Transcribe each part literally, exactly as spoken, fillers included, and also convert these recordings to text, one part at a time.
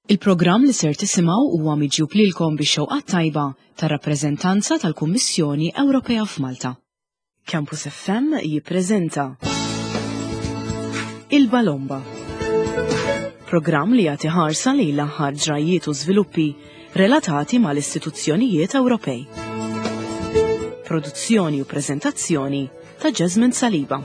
Il-programm li ser tisimgħu huwa miġjub lilkom bix-xewqa tajba tar-rappreżentanza tal-Kummissjoni Ewropea f'Malta. Campus F M jippreżenta Il-Balomba. Programm li jagħti ħarsa lejn l-aħħar ġrajiet u żviluppi relatati mal-istituzzjonijiet Ewropej. Produzzjoni u preżentazzjoni ta' Jasmine Saliba.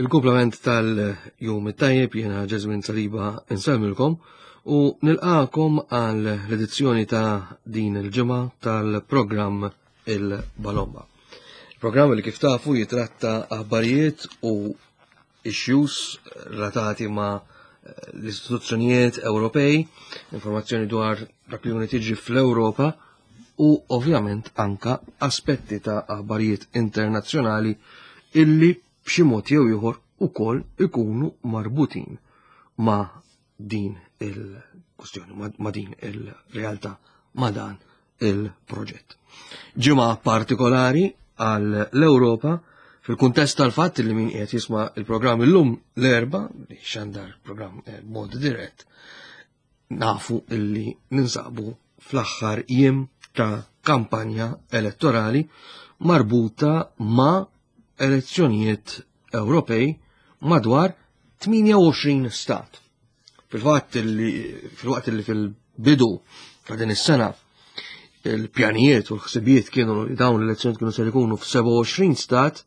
Il-kumplament tal-jum it-tajjeb, jiena Jasmine Saliba insellmilkom u nilqakom għal l-edizzjoni ta' din il-ġimgħa tal-programm Il-Balomba. Il-programm li kif tafu jitratta aħbarijiet u issues relatati ma' l-istituzzjonijiet Ewropej, informazzjoni dwar dak li tiġi fl-Ewropa u ovvjament anka aspetti ta' aħbarijiet internazzjonali illi b'xi mod jew ieħor ukoll ikunu marbutin ma' din il-kustjoni, ma' din il-realtà, ma' dan il-proġett. Ġimgħa partikolari għal l-Ewropa fil-kuntest tal-fatt li min qiegħed jisma' il-programm illum l-Erbgħa, li xandar programm eh, mod dirett, nafu illi ninsabu fl-aħħar jiem ta' kampanja elettorali marbuta ma' elezzjonijiet Ewropej madwar tmienja u għoxrin stat. Fil-fatt li fil-waqt li fil-bidu ta' din is-sena il-pjanijiet u l-ħsibijiet kienu li dawn l-elezzjonijiet kienu ser ikunu f'sebgħa u għoxrin stat,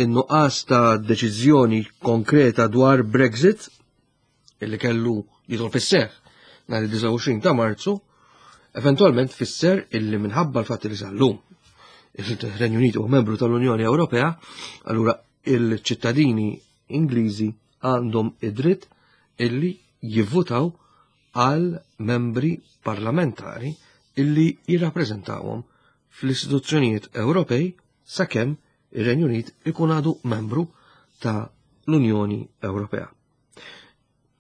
in-nuqqas ta' deċiżjoni konkreta dwar Brexit illi kellu jidħol fis-seħħ nhar id-disgħa u għoxrin ta' Marzu, eventualment fisser illi minħabba l-fatt li sal-lum il-Renju Unit huwa membru tal-Unjoni Ewropea, allura il-ċittadini Ingliżi għandhom id-dritt illi jivvutaw għal membri parlamentari illi jirrappreżentawhom fl-istituzzjonijiet Ewropej sakemm ir-Renju Unit ikun għadu membru ta' l-Unjoni Ewropea.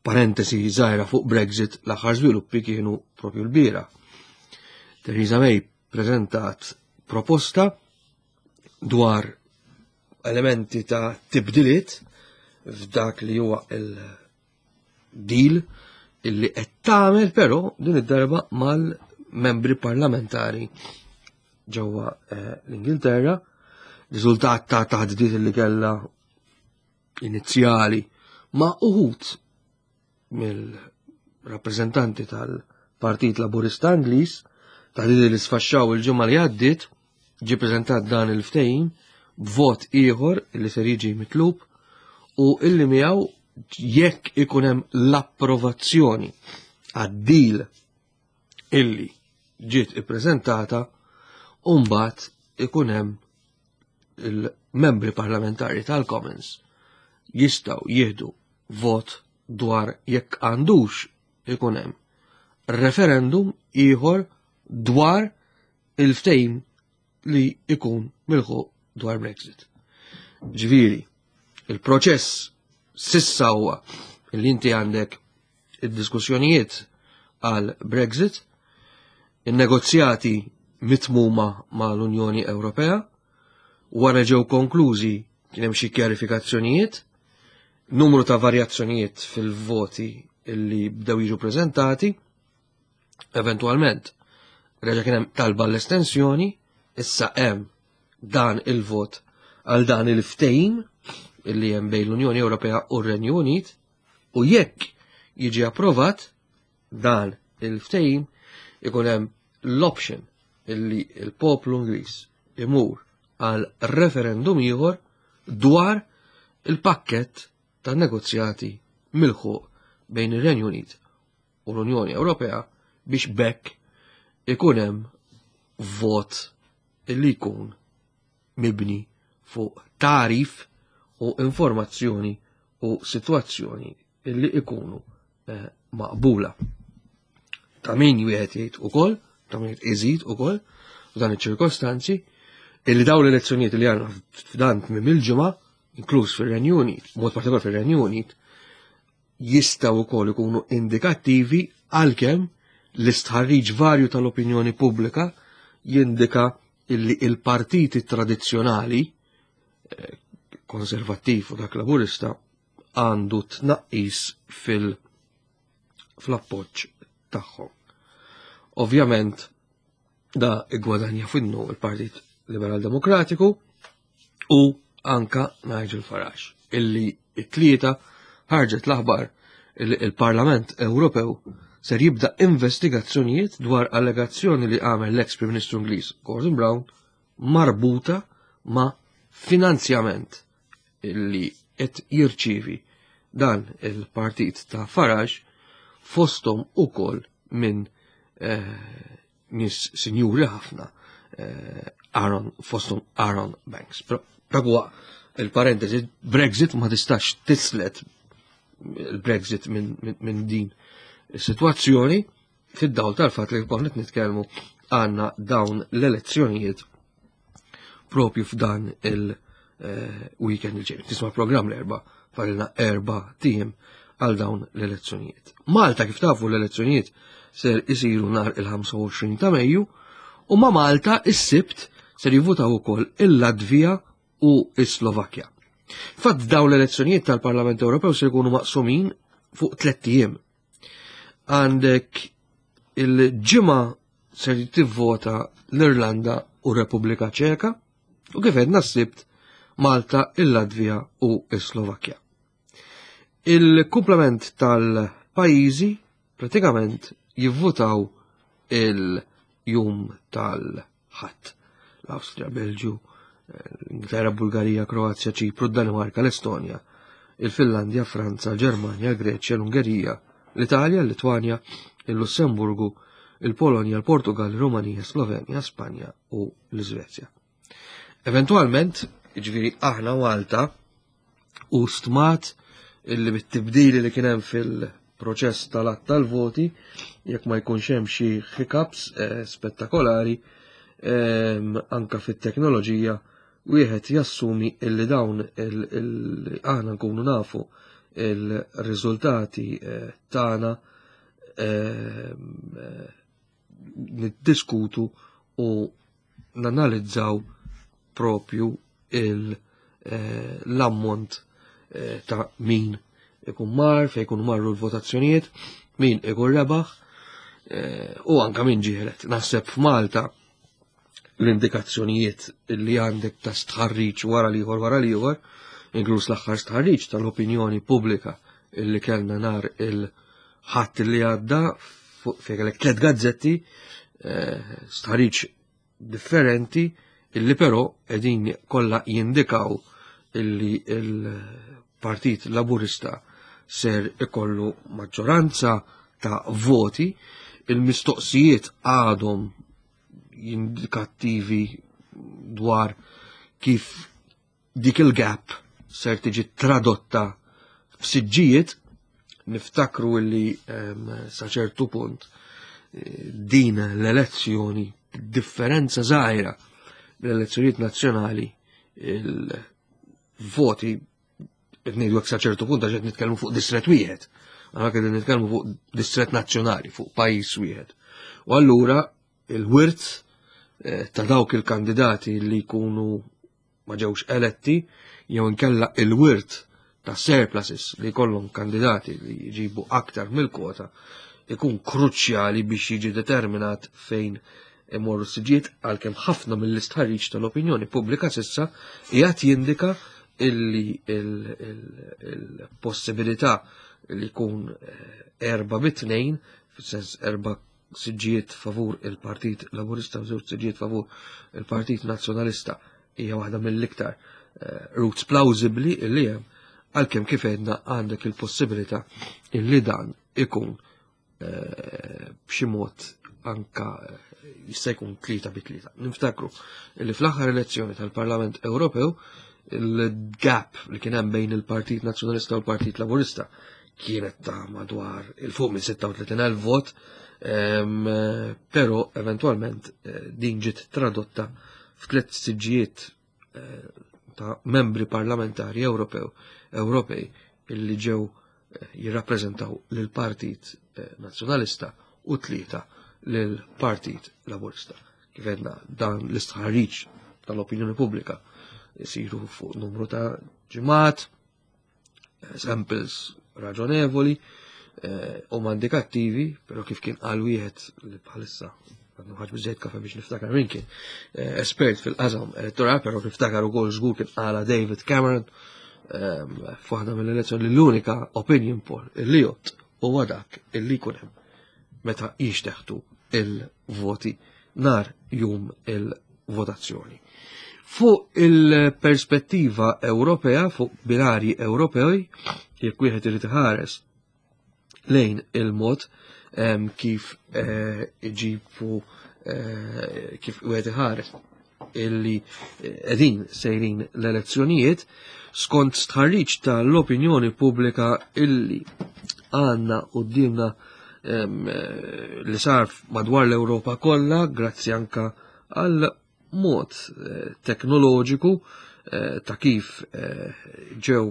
Parentesi żgħira fuq Brexit, l-aħħar żviluppi kienu propju l-bieraħ. Theresa May preżentat proposta dwar elementi ta' tibdiliet f'dak li huwa il-deal illi qed tagħmel, però din id-darba mal-membri parlamentari ġewwa eh, l-Ingilterra, riżultat ta' taħdidiet li kellha inizjali ma' uħud mill-rappreżentanti tal-Partit Laburista Ingliż, taħdidiet li sfaxxaw il-ġimgħa li għaddiet, ġi preżentat dan il-ftehim b'vot ieħor li ser jiġi mitlub u illi miegħu, jekk ikun hemm l-approvazzjoni għad-deal illi ġiet ippreżentata, mbagħad ikun hemm il-membri parlamentari tal-Commons jistgħu jieħdu vot dwar jekk għandux ikun hemm referendum ieħor dwar il-ftehim li ikun milħuq dwar Brexit. Ġifieri, il-proċess s'issa huwa li inti għandek id-diskussjonijiet għal Brexit, il-negozjati mitmuma ma' l-Unjoni Ewropea, wara ġew konklużi kien hemm xi kjarifikazzjonijiet, numru ta' varjazzjonijiet fil-voti illi bdew jiġu preżentati, eventualment reġa' kien hemm talba l-estensjoni, issa hemm dan il-vot għal dan il-ftehim illi hemm bejn l-Unjoni Ewropea u r-Renju Unit, u jekk jiġi approvat dan il-ftehim ikun hemm l-option illi il-poplu Ingliż imur għal referendum ieħor dwar il-pakket ta' negozjati milħuq bejn ir-Renju Unit u l-Unjoni Ewropea, biex b'hekk ikun hemm vot illi jkun mibni fuq tagħrif u informazzjoni u situazzjoni illi ikunu eh, maqbula. Ta' min wieħed jgħid ukoll, ta' min iżid ukoll f'dan iċ-ċirkostanzi illi dawn l-elezzjonijiet li għandna f'dan tmiem il-ġimgħa, inkluż fir-Renju Unit, mod partikolar fir-Renju Unit, jistgħu wkoll ikunu indikattivi, għalkemm L-istħarriġ varju tal-opinjoni pubblika jindika illi il-partiti tradizzjonali, eh, konservattiv u dak laburista, għandu tnaqqis fil- fl-appoġġ tagħhom. Ovvjament, da iggwadanja finnu il-Partit Liberal Demokratiku u anka Nigel Farage, illi it-tlieta ħarġet l-aħbar illi il-Parlament Ewropew ser jibda investigazzjonijiet dwar allegazzjoni li għamel l-ex Prim Ministru Ingliż Gordon Brown marbuta ma' finanzjament illi qed jirċievi dan il-partit ta' Farage, fostom ukoll minn eh, nies sinjuri ħafna, eh, Aaron, fostom Aaron Banks. Però dak huwa il-parentesi. Brexit, ma tistax tislet il-Brexit minn min, min din is-sitwazzjoni, fid-dawl tal-fatt li konna qed nitkellmu għandna dawn l-elezzjonijiet propju f'dan il-weekend il-ġej. Tisma' programm l-Erbgħa, fadlilna erbat ijiem għal dawn l-elezzjonijiet. Malta, kif tafu, l-elezzjonijiet ser isiru nhar il-ħamsa u għoxrin ta' Mejju u ma' Malta is-Sibt ser jivvutaw ukoll il-Latvija u is-Slovakkja. Fatt, dawn l-elezzjonijiet tal-Parlament Ewropew ser jkunu maqsumin fuq tlett ijiem. Għandek il-Ġimgħa ser tivvota l-Irlanda u Repubblika Ċeka u, kif għedna, s-Sibt Malta, il-Latvija u s-Slovakkja. Il-komplement tal-pajjiżi pratikament jivvutaw il-jum tal-Ħadd. L-Awstrija, Belġju, l-Ingilterra, Bulgarija, Kroazja, Ċipru, Danimarka, l-Estonja, il-Finlandja, Franza, Ġermanja, Greċja, l-Ungerija, l-Italja, l-Litwanja, il-Lussemburgu, il-Polonja, il-Portugal, il-Rumanija, Slovenja, Spanja u l-Iżvezja. Eventualment, ġifieri aħna Malta u stmat illi bit-tibdili li kien hemm fil-proċess tal-għadd tal-voti, jekk ma jkunx hemm xi hiccups eh, spettakolari eh, anka fit-teknoloġija, wieħed jassumi illi dawn il aħna nkunu nafu il-riżultati eh, tagħna, eh, niddiskutu u nanalizzaw propju l-ammont eh, ta' min ikun mar, fej ikun marru l-votazzjonijiet, min ikun rebaħ u anka min ġie elett. Naħseb f'Malta l-indikazzjonijiet li għandek ta' stħarriġ wara l-ieħor wara l-ieħor, inkluż l-aħħar stħarriġ tal-opinjoni pubblika illi kellna nhar il-Ħadd li għadda, fejn kellek tliet gazzetti, eh, stħarriġ differenti, illi però qegħdin kollha jindikaw illi il-Partit Laburista ser ikollu maġġoranza ta' voti. Il-mistoqsijiet għadhom indikattivi dwar kif dik il-gap ser tiġi tradotta f'siġġijiet. Niftakru illi um, sa ċertu punt eh, din l-elezzjoni, differenza żgħira mill-elezzjonijiet nazzjonali, il-voti, qed ngħidu sa ċertu punt għax qed nitkellmu fuq distret wieħed. Aħna qegħdin nitkellmu fuq distret nazzjonali, fuq pajjiż wieħed. U allura il-wirt eh, ta' dawk il-kandidati li jkunu ma ġewx eletti jew inkella il-wirt ta' surpluses li jkollhom kandidati li jġibu aktar mill-kwota ikun kruċjali biex jiġi determinat fejn imorru siġiet, għalkemm ħafna mill-istħarriġ tal-opinjoni pubblika s'issa qiegħed jindika illi il-possibilità li jkun eh, erba bi tnejn, fis-sens erba' siġġijiet favur il-Partit Laburista u żewġ siġġijiet favur il-Partit Nazzjonalista, hija waħda mill-iktar eh, routes plausibli illi hemm, għalkemm, kif għedna, għandek il-possibilità illi dan ikun eh, b'xi mod anka jista' jkun tlieta bi tlieta. Niftakru li fl-aħħar elezzjoni tal-Parlament Ewropew il-gap li kien hemm bejn il-Partit Nazzjonalista u l-Partit Laburista kienet ta' madwar il-fuq minn sitta u tletin elf vot, però eventualment eh, din ġiet tradotta f'tliet siġġijiet eh, ta' membri parlamentari Ewropew Ewropej illi ġew eh, jirrappreżentaw lill-Partit Nazzjonalista. u tlieta lill-Partit Laburista. Kif għedna, dan l-istħarriġ tal-opinjoni pubblika jisiru fuq numru ta' ġimgħat, samples raġonevoli u indikattivi, però kif kien qal wieħed li bħalissa għadnu ħaġ biżejt kafe biex niftakar min kien espert fil-qasam elettorali, però niftakar ukoll żgur kien qala David Cameron f'waħda mill-elezzjoni li l-unika opinion poll illi jgħodd huwa dak illi jkun hemm meta jixteħtu il-voti nar jum il-votazzjoni. Fuq il-perspettiva Ewropea, fuq binari Ewropej, jekk wieħed irid iħares lejn il-mod kif iġibu kif wieħed iħares illi qegħdin sejrin l-elezzjonijiet, skont stħarriġ tal-opinjoni pubblika illi għandna quddiemna li sar madwar l-Ewropa kollha, grazzi anka għal mod teknoloġiku ta' kif ġew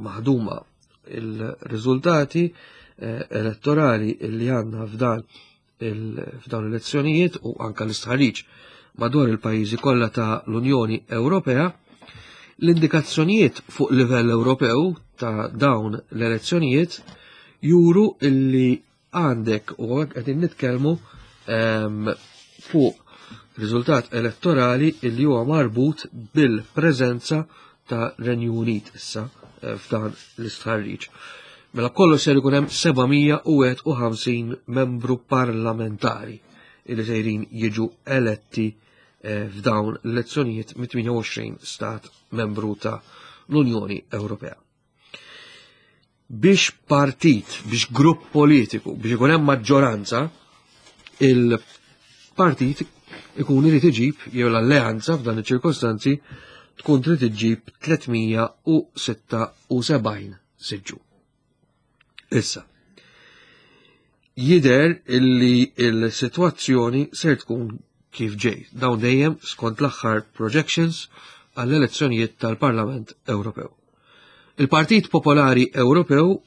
maħduma il-riżultati elettorali illi għandna f'dan f'dawn l-elezzjonijiet u anka l-istħarriġ madwar il-pajjiżi kollha ta' l-Unjoni Ewropea, l-indikazzjonijiet fuq livell Ewropew ta' dawn l-elezzjonijiet juru illi għandek u qegħdin nitkellmu fuq riżultat elettorali illi huwa marbut bil-preżenza ta' Renju Unit issa f'dan l-istħarriġ. Mela kollox ser ikun hemm seba' mija u wieħed u ħamsin membru parlamentari illi sejrin jiġu eletti f'dawn l-elezzjonijiet mit tmienja u għoxrin stat membru ta' l-Unjoni Ewropea. Biex partit, biex grupp politiku, biex ikun hemm maġġoranza, il-partit ikun irid iġib, jew l-alleanza f'dan iċ-ċirkostanzi tkun trid iġib tliet mija u sitta u sebgħin siġġu. Issa, jidher illi il-sitwazzjoni ser tkun kif ġej, dawn dejjem skont l-aħħar projections għall-elezzjonijiet tal-Parlament Ewropew. Il-Partit Popolari Ewropew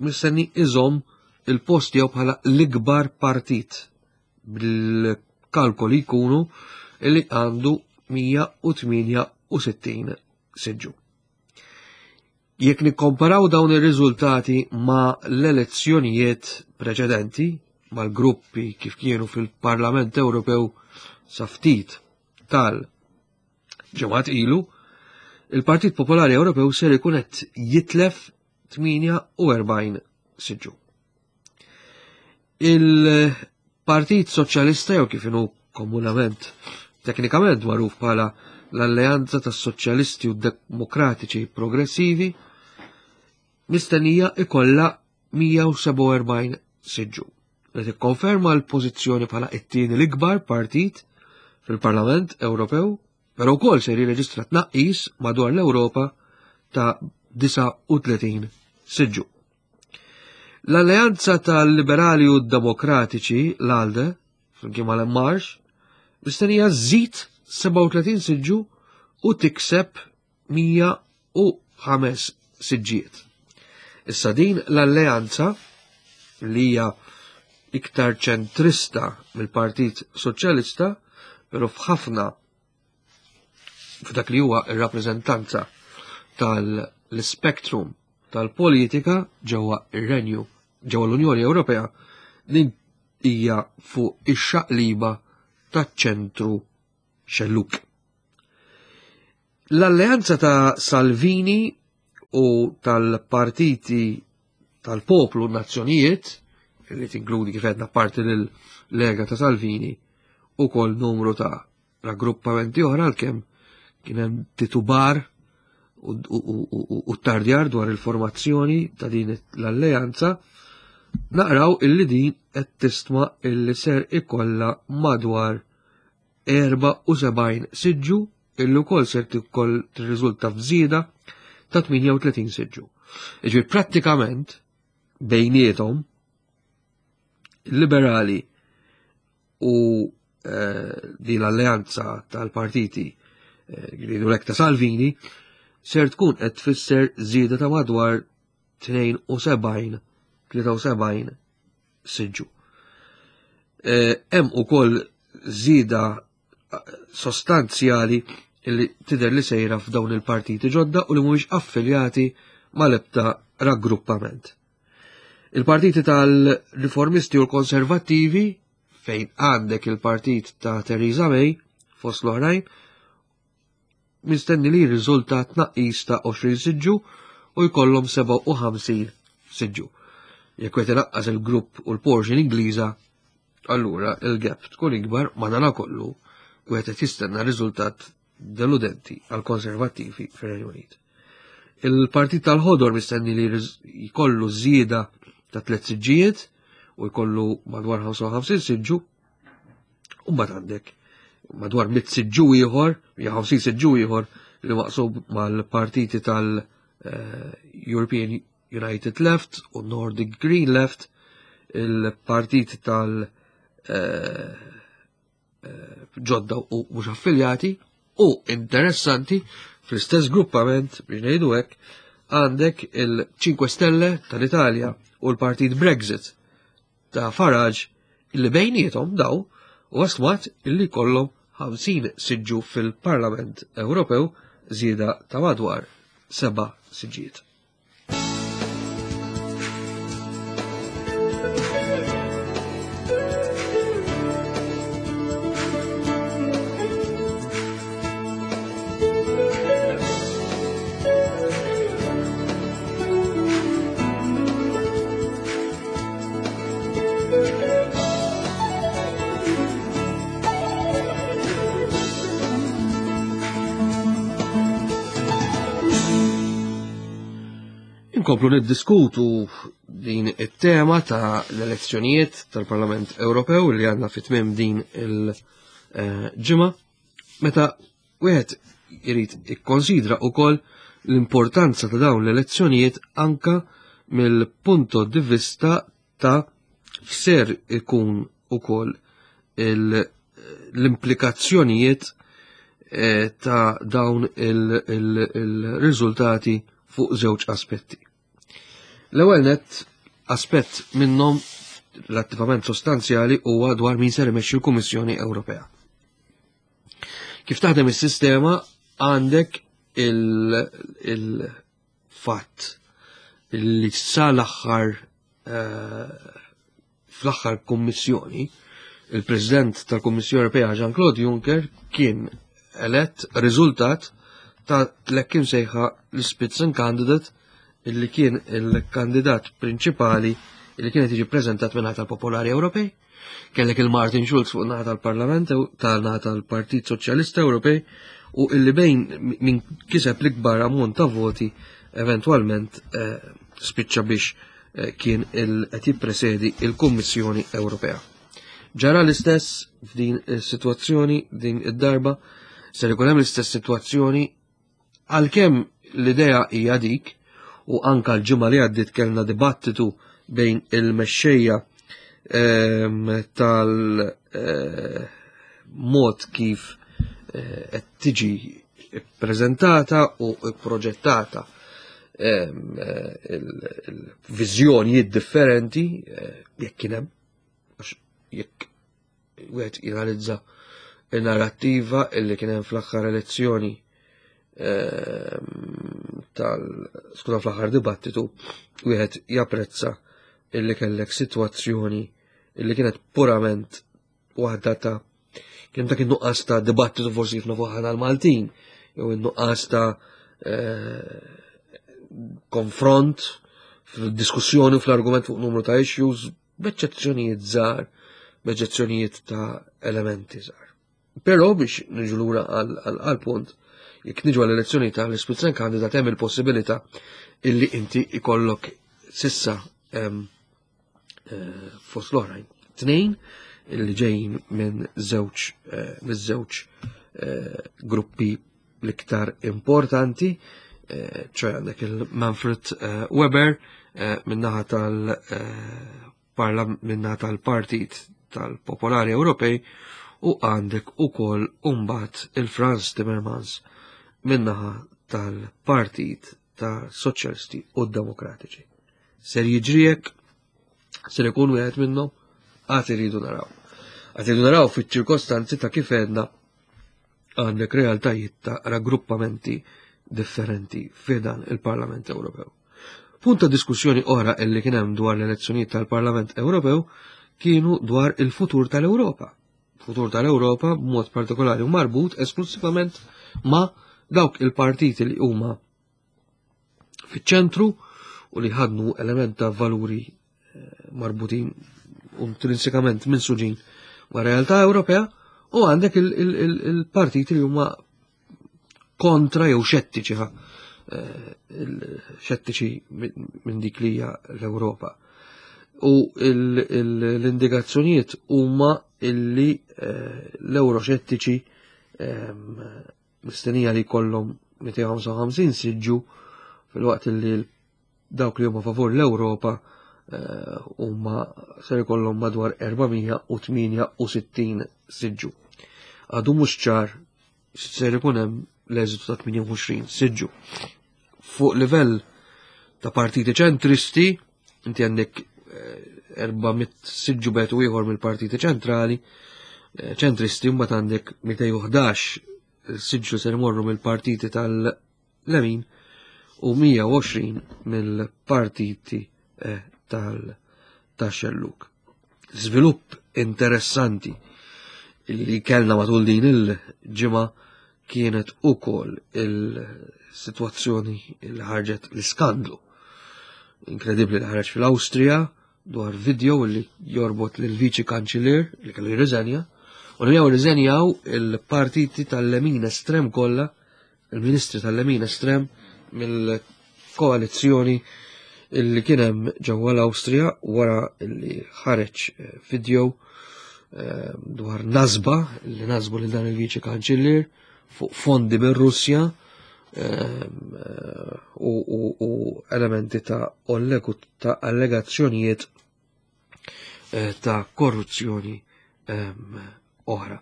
mistenni iżomm il-post tiegħu bħala l-ikbar partit bil-kalkoli jkunu illi għandu mija u tmienja u sittin siġġu. Jekk nikkomparaw dawn ir-riżultati ma' l-elezzjonijiet preċedenti, mal-gruppi kif kienu fil-Parlament Ewropew sa ftit tal-ġimgħat ilu, il-Partit Popolari Ewropew ser ikun qed jitlef tmienja u erbgħin siġġu. Il-Partit Soċjalista, jew kif inhu komunament teknikament magħruf bħala l-Alleanza tas-Soċjalisti u Demokratiċi Progressivi, mistennija ikollha mija u sebgħa u erbgħin siġġu, li tikkonferma l-pożizzjoni bħala it-tieni l-ikbar partit fil-Parlament Ewropew, però wkoll se jirreġistra tnaqqis madwar l-Ewropa ta' disgħa u tletin siġġu. L-Alleanza tal-Liberali u Demokratiċi, l-ALDE, flimkien mal-En Marche, mistennija żżid sebgħa u tletin siġġu u tikseb mija u ħames siġġijiet. Issa din l-alleanza li hija iktar ċentrista mill-Partit Soċjalista, però f'ħafna f'dak li huwa r-rappreżentanza tal-spektrum tal-politika ġewwa ir-Renju, ġewwa l-Unjoni Ewropea, din hija fuq ix-xaqliba taċ-ċentru xelluk. L-alleanza ta' Salvini u tal-partiti tal-poplu nazzjonijiet, li tinkludi kif għedna parti lill-Lega ta' Salvini u kol numru ta' raggruppamenti oħra, għalkemm kien hemm titubar u, u, u, u, u tardjar dwar il-formazzjoni ta' din l-alleanza, naqraw illi din qed tistma illi ser ikollha madwar erba' u sebgħin siġġu, illi wkoll ser tikoll tirriżulta f'żieda ta' tmienja u tletin siġġu. Jiġifieri prattikament bejniethom il-liberali u, eh, din l-alleanza tal-partiti, eh, jridu lek ta' Salvini ser tkun qed tfisser żieda ta' madwar tnejn u sebgħin, tlieta u sebgħin siġġu. Hemm ukoll żieda sostanzjali li tidher li sejra f'dawn il-partiti ġodda u li mhumiex affiljati mal-ebda raggruppament. Il-partiti tal-riformisti u l-konservattivi, fejn għandek il-partit ta' Theresa May, fost l-oħrajn, mistenni li jirriżulta tnaqqis ta' għoxrin siġġu u jkollhom sebgħa u ħamsin siġġu. Jekk qed inaqqas il-grupp u l-portion Ingliża, allura il-gap tkun ikbar, madanakollu wieħed qed jistenna riżultat deludenti għal konservattivi fir-Renju Unit. Il-Partit tal-Ħodor mistenni li jkollu żieda ta' tliet siġġijiet u jkollu madwar ħamsa u ħamsin siġġu, u mbagħad għandek madwar mitt siġġu ieħor, jew ħamsin siġġu ieħor li maqsub mal-partiti tal-European United Left u Nordic Green Left, il-partit tal-, eh, eh, ġodda u mhux affiljati, u interessanti fl-istess gruppament, biex ngħidu hekk, għandek il-Cinque Stelle tal-Italja u l-Partit Brexit ta' Farage, illi bejniethom daw u stmat illi kollhom ħamsin siġġu fil-Parlament Ewropew, żieda ta' madwar seba' siġġijiet. Inkomplu niddiskutu din it-tema ta' l-elezzjonijiet tal-Parlament Ewropew li għandna fi tmiem din il-ġimgħa, meta wieħed irid ikkonsidra wkoll l-importanza ta' dawn l-elezzjonijiet anka mill-punto di vista ta' f'ser ikun ukoll il-, l-implikazzjonijiet, eh, ta' dawn il-, il-, il-riżultati fuq żewġ aspetti. L-ewwel nett, aspett minnhom relattivament sostanzjali huwa dwar min ser imexxi l-Kummissjoni Ewropea. Kif taħdem is-sistema għandek il-, il-fatt li sal-aħħar, eh, fl-aħħar kummissjoni, il-President tal-Kummissjoni Ewropea Jean-Claude Juncker kien elett riżultat ta' l-hekk imsejħa l-Spitzenkandidat, illi kien il-kandidat prinċipali illi kienet jiġi preżentat minn naħa tal-Popolari Ewropej. Kellek il-Martin Schulz fuq naħa tal-Parlament Ew-, tal-naħa tal-Partit Soċjalista Ewropej, u illi bejn min kiseb l-ikbar ammont ta' voti eventwalment, eh, spiċċa biex, eh, kien il-, qed jippresedi il-Kummissjoni Ewropea. Ġara l-istess f'din is-sitwazzjoni din id-darba, ser ikun hemm l-istess sitwazzjoni għalkemm l-idea hija dik, u anka l-ġimgħa li għaddiet kellna dibattitu bejn il-mexxejja, ehm, tal, eh, mod kif, eh, qed tiġi ppreżentata u pproġettata, ehm, eh, il-, il-viżjonijiet differenti, eh, jekk kien hemm, għax jekk wieħed jinalizza il-narrattiva illi kien hemm fl-aħħar elezzjoni, ehm, tal-, skuża, fl-aħħar dibattitu, wieħed japprezza illi kellek sitwazzjoni illi kienet purament waħda ta' kien dak in-nuqqas ta' dibattitu forsi kif nafu aħna l-Maltin, jew in-nuqqas ta', eh, konfront fil-diskussjoni u fl-argument fuq numru ta' issues, b'eċċezzjonijiet żgħar, b'eċċezzjonijiet ta' elementi żgħar. Però biex niġu lura għal, għal, għal punt, jekk niġu għall-elezzjoni tal-Spitzenkandidat hemm il-possibilità illi inti ikollok sissa, em, eh, fost l-oħrajn tnejn illi ġejjin minn żewġ, eh, minn żewġ, eh, gruppi l-iktar importanti, eh, ċoħe għandek il-Manfred, eh, Weber, eh, min-naħa tal, eh, parla-, min-naħa tal-Partit tal-Popolari Ewropej, u għandek ukoll imbagħad il-Frans Timmermans min-naħa tal-Partit ta' Soċjalisti u Demokratiċi. Ser jiġri hekk, ser ikun wieħed minnhom, għad iridu naraw. Għad naraw fiċ-ċirkostanzi ta' kif għedna għandek realtajiet ta' raggruppamenti differenti f'dan il-Parlament Ewropew. Punt ta' diskussjoni oħra illi kien hemm dwar l-elezzjonijiet tal-Parlament Ewropew kienu dwar il-futur tal-Ewropa. Futur tal-Ewropa b'mod partikolari u marbut esklusivament ma' dawk il-partiti li huma fiċ-ċentru u li ħadnu element ta' valuri eh, marbutin intrinsikament minn suġin ma' realtà Ewropea u għandek il-partiti li huma kontra jew xettiċi eh, xettiċi minn dik li hija l-Ewropa. U l-indikazzjonijiet huma illi eh, l-Euroxettiċi ehm, mistennija li jkollhom mitejn u ħamsa u ħamsin siġġu filwaqt li dawk li huma favur l-Ewropa eh, huma ser ikollhom madwar erba' mija u tmienja u sittin siġġu. Għadu mhux ċar ser ikun hemm l-eżitu ta' tmienja u għoxrin siġġu. Fuq livell ta' partiti ċentristi, inti għandek eh, erba' mitt siġġu bet u ieħor mill-partiti ċentrali, eh, ċentristi, mbagħad għandek mitejn u ħdax siġġu ser imorru mill-partiti tal-lemin u mija u għoxrin mill-partiti, eh, tal-xelluk. Żvilupp interessanti li kellna matul din il-ġimgħa kienet ukoll il-sitwazzjoni li ħarġet l-iskandlu inkredibbli li ħareġ fil-Awstrija dwar video li jorbot lil viċi kanċillier li kellu jirriżenja, u li jew riżenjaw il-partiti tal-lemin estrem kollha, il-ministri tal-lemin estrem mill-koalizzjoni illi kien hemm ġewwa l-Awstrija wara li ħareġ video, eh, dwar nazba li nazbu lil dan il-viċi kanċillier fuq fondi mir-Russja, eh, u, u, u elementi ta' ollegu ta' allegazzjonijiet, eh, ta' korruzzjoni, ehm, oħra.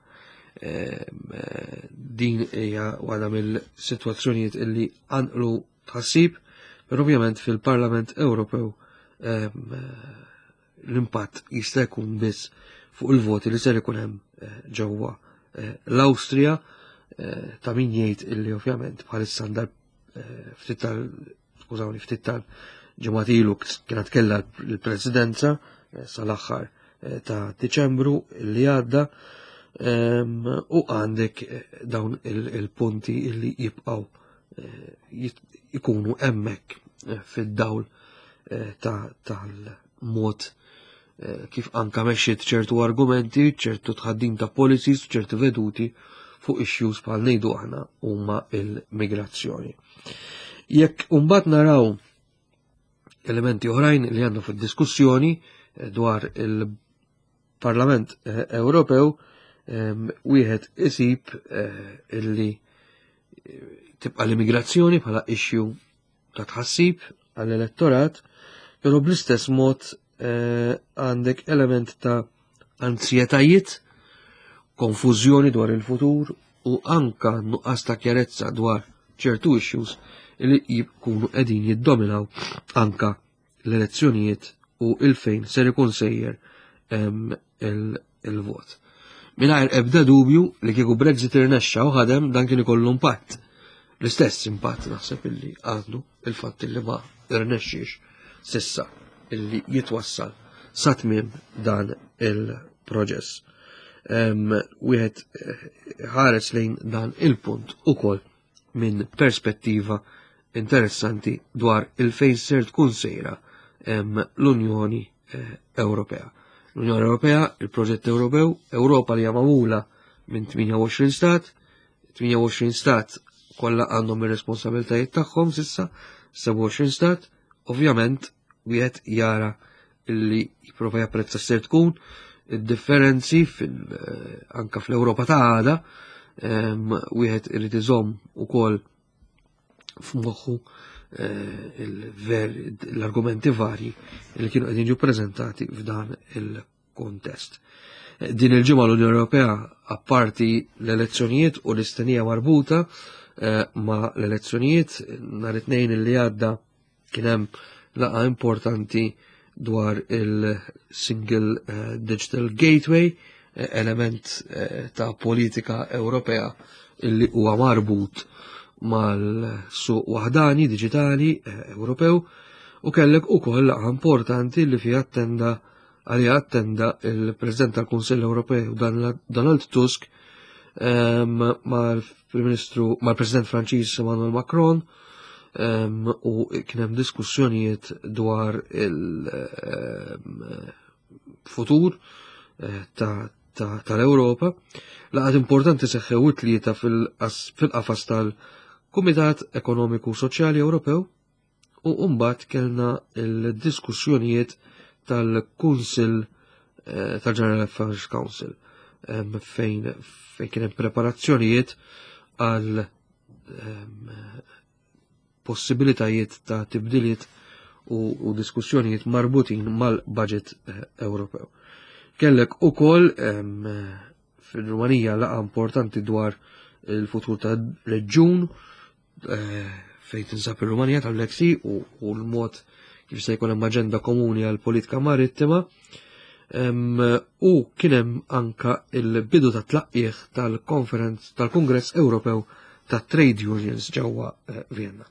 Ehm, eh, din hija waħda mill-sitwazzjonijiet illi qanqlu tħassib, però ovvjament fil-Parlament Ewropew, ehm, l-impatt jista' jkun biss fuq il-voti li ser ikun hemm, eh, ġewwa, eh, l-Awstrija, eh, ta' min jgħid illi ovvjament bħalissa għandha, eh, ftit tal, skużawni, ftit tal-ġimgħat ilu kienet kellha l-presidenza, eh, sal-aħħar, eh, ta' Diċembru li għadda, ehm, u għandek, eh, dawn il-, il-punti illi jibqgħu, eh, jit-, ikunu hemmhekk, eh, fid-dawl, eh, ta', tal-mod, eh, kif anka mexxiet ċertu argumenti, ċertu tħaddim ta' policies, ċertu veduti fuq issues bħal ngħidu aħna huma il-migrazzjoni. Jekk mbagħad naraw elementi oħrajn li għandna fid-diskussjoni, eh, dwar il-Parlament, eh, Ewropew, ehm, wieħed isib, eh, illi tibqa' l-immigrazzjoni bħala issue ta' tħassib għall-elettorat, però bl-istess mod, eh, għandek element ta' anzjetajiet, konfużjoni dwar il-futur u anka nuqqas ta' kjarezza dwar ċertu issues li jkunu qegħdin jiddominaw anka l-elezzjonijiet u il-fejn ser ikun sejjer, ehm, il-, il-vot. Mingħajr ebda dubju li kieku Brexit irnexxa u ħadem dan kien ikollu impatt. L-istess impatt naħseb illi għandu il-fatt illi ma irnexxiex sissa illi jitwassal sa tmiem dan il-proċess. Em, wieħed, eh, ħares lejn dan il-punt ukoll minn perspettiva interessanti dwar il-fejn ser tkun sejra, em, l-Unjoni, eh, Ewropea. L-Unjoni Ewropea, il-proġett Ewropew, Ewropa li hija magħmula minn tmienja u għoxrin stat, tmienja u għoxrin stat kollha għandhom ir-responsabiltajiet tagħhom sissa, sebgħa u għoxrin stat, ovvjament wieħed jara illi jipprova japprezza ser tkun id-differenzi fil-, eh, anka fl-Ewropa ta' għada, em, wieħed irid iżomm ukoll f'moħħu, eh, il-ver-, l-argumenti varji li kienu qegħdin jiġu preżentati f'dan il-kontest. Eh, din il-ġimgħa l-Unjoni Ewropea, apparti l-elezzjonijiet u l-istennija marbuta, eh, ma' l-elezzjonijiet, nhar it-tnejn li għadda kien hemm laqgħa importanti dwar il-Single, eh, Digital Gateway, element ta' politika Ewropea illi huwa marbut mal-suq waħdani diġitali Ewropew, u kellek ukoll laqgħa importanti li fiha attenda għalija attenda il-President tal-Kunsill Ewropew Donald Tusk mal-Prim Ministru, mal-President Franċiż Emmanuel Macron, u kien hemm diskussjonijiet dwar il-futur tal-Ewropa. Laqgħat importanti seħħew it-tlieta fil-qafas tal-Kumitat Ekonomiku Soċjali Ewropew, u mbagħad kellna l-diskussjonijiet tal-Kunsill tal-General Affairs Council fejn fejn kien hemm preparazzjonijiet għal possibilitajiet ta' tibdiliet u, u diskussjonijiet marbutin mal-budget Ewropew. Kellek ukoll fil-Rumanija laqgħa importanti dwar il-futur ta' reġjun fejn tinsab ir-Rumanija tal-Black Sea u, u l-mod kif se jkun hemm aġenda komuni għal politika marittima. U kien hemm anka il-bidu ta' tlaqqieħ tal-konferenz tal-Kungress Ewropew ta' Trade Unions ġewwa Vienna.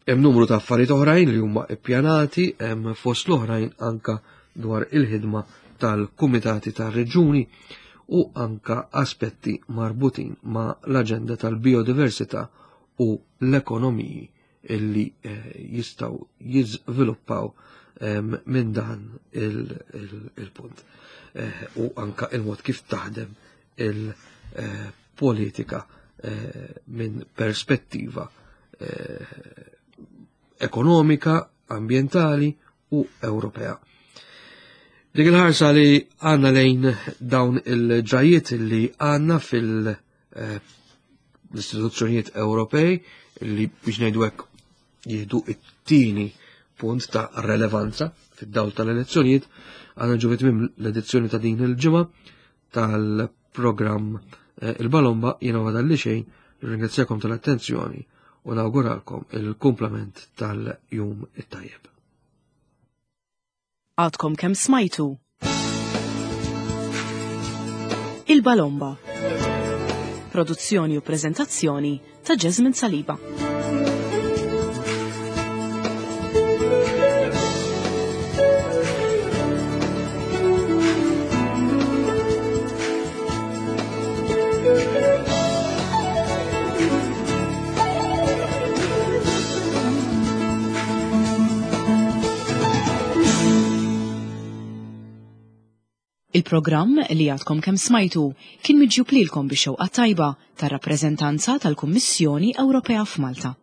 Hemm numru ta' affarijiet oħrajn li huma ippjanati, hemm fost l-oħrajn anka dwar il-ħidma tal-kumitati tar-reġuni u anka aspetti marbutin ma' l-aġenda tal-biodiversità u l-ekonomiji illi jistgħu jiżviluppaw minn dan il-punt. U anka il-mod kif taħdem il-politika minn perspettiva ekonomika, ambientali u Ewropea. Dik il-ħarsa li għanna lejn dawn il-ġrajiet li għanna fil-istituzzjonijiet Ewropej li biex ngħidu hekk jieħdu it-tieni punt ta' relevanza fid-dawl tal-elezzjonijiet, għandna ġu tmiem l-edizzjoni ta' din il-ġimgħa tal-programm Il-Balomba. Jiena għadha li xejn, ringrazzjakom tal-attenzjoni u nawguralkom il-kumplament tal-jum it-tajjeb. Għadkom kemm smajtu Il-Balomba. Produzzjoni u preżentazzjoni ta' Jasmine Saliba. Il-programm li għadkom kemm smajtu kien miġjub lilkom bix-xewqa tajba tar-rappreżentanza tal-Kummissjoni Ewropea f'Malta.